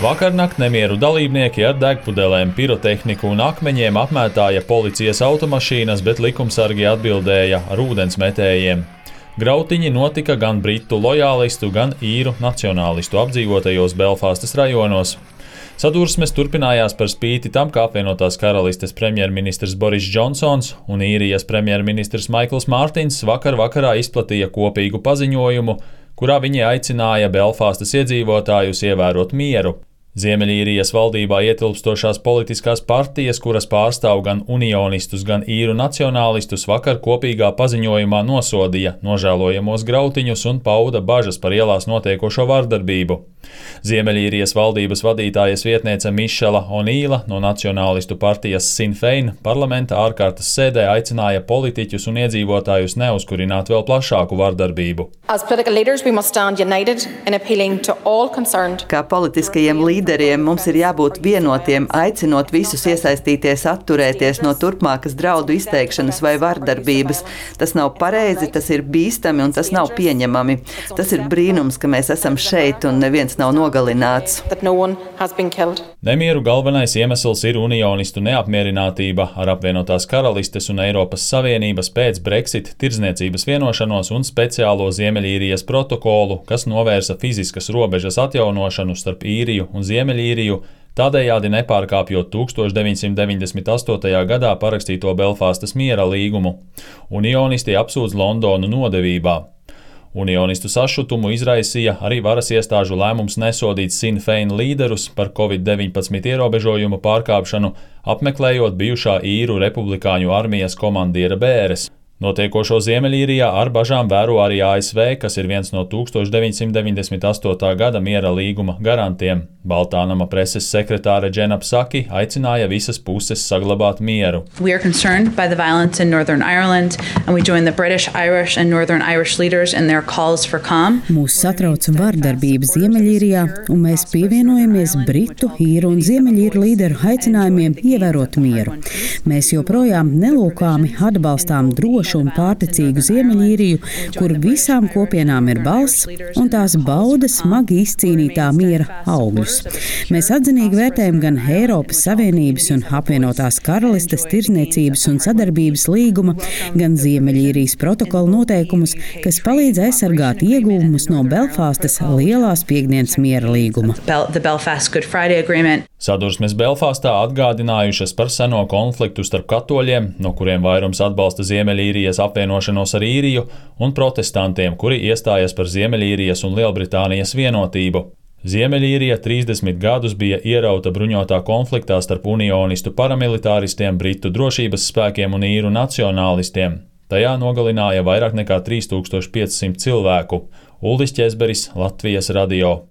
Vakarnakt nemieru dalībnieki ar degpudelēm, pirotehniku un akmeņiem apmētāja policijas automašīnas, bet likumsargi atbildēja ar ūdensmetējiem. Grautiņi notika gan britu lojālistu, gan īru nacionālistu apdzīvotajos Belfastas rajonos. Sadursmes turpinājās par spīti tam, ka apvienotās karalistes premjerministrs Boris Džonsons un īrijas premjerministrs Maikls Mārtins vakarā izplatīja kopīgu paziņojumu, kurā viņi aicināja Belfastas iedzīvotājus ievērot mieru. Ziemeļīrijas valdībā ietilpstošās politiskās partijas, kuras pārstāv gan unionistus, gan īru nacionālistus, vakar kopīgā paziņojumā nosodīja nožēlojamos grautiņus un pauda bažas par ielās notiekošo vardarbību. Ziemeļīrijas valdības vadītājas vietniece Mišela Onīla no nacionālistu partijas Sinn Fein parlamenta ārkārtas sēdē aicināja politiķus un iedzīvotājus neuzkurināt vēl plašāku vardarbību. Kā politiskajiem līderiem mums ir jābūt vienotiem, aicinot visus iesaistīties atturēties no turpmākas draudu izteikšanas vai vardarbības. Tas nav pareizi, tas ir bīstami un tas nav pieņemami. Tas ir brīnums, ka mēs esam šeit un neviens nav nogalināts. Nemieru galvenais iemesls ir unionistu neapmierinātība ar apvienotās karalistes un Eiropas Savienības pēc Brexit tirdzniecības vienošanos un speciālo Ziemeļīrijas protokolu, kas novērsa fiziskas robežas atjaunošanu starp Īriju un Ziemeļīriju, tādējādi nepārkāpjot 1998. gadā parakstīto Belfastas miera līgumu. Unionisti apsūdz Londonu nodevībā. Unionistu sašutumu izraisīja arī varas iestāžu lēmums nesodīt Sinn Fein līderus par Covid-19 ierobežojumu pārkāpšanu, apmeklējot bijušā īru republikāņu armijas komandiera bēres. Notiekošo Ziemeļīrijā ar bažām vēro arī ASV, kas ir viens no 1998. gada miera līguma garantiem. Baltānama preses sekretāre Džena Psaki aicināja visas puses saglabāt mieru. We are concerned by the violence in Northern Ireland and we join the British, Irish and Northern Irish leaders in their calls for calm. Mūs satrauc vardarbība Ziemeļīrijā un mēs pievienojamies Britu, īru un Ziemeļīru līderu aicinājumiem ievērot mieru. Mēs joprojām nelūkāmi atbalstām drošu un pārticīgu Ziemeļīriju, kur visām kopienām ir balss un tās bauda smagi izcīnītā miera augļus. Mēs atzinīgi vērtējam gan Eiropas Savienības un apvienotās karalistes tirdzniecības un sadarbības līguma, gan Ziemeļīrijas protokola noteikumus, kas palīdz aizsargāt ieguvumus no Belfastas lielās piekdienas miera līguma. Sadursmes Belfastā atgādinājušas par seno konfliktu starp katoļiem, no kuriem vairums atbalsta Ziemeļīrijas apvienošanos ar Īriju, un protestantiem, kuri iestājas par Ziemeļīrijas un Lielbritānijas vienotību. Ziemeļīrija 30 gadus bija ierauta bruņotā konfliktā starp unionistu paramilitāristiem, britu drošības spēkiem un īru nacionālistiem. Tajā nogalināja vairāk nekā 3500 cilvēku. Uldis Ķezberis, Latvijas radio.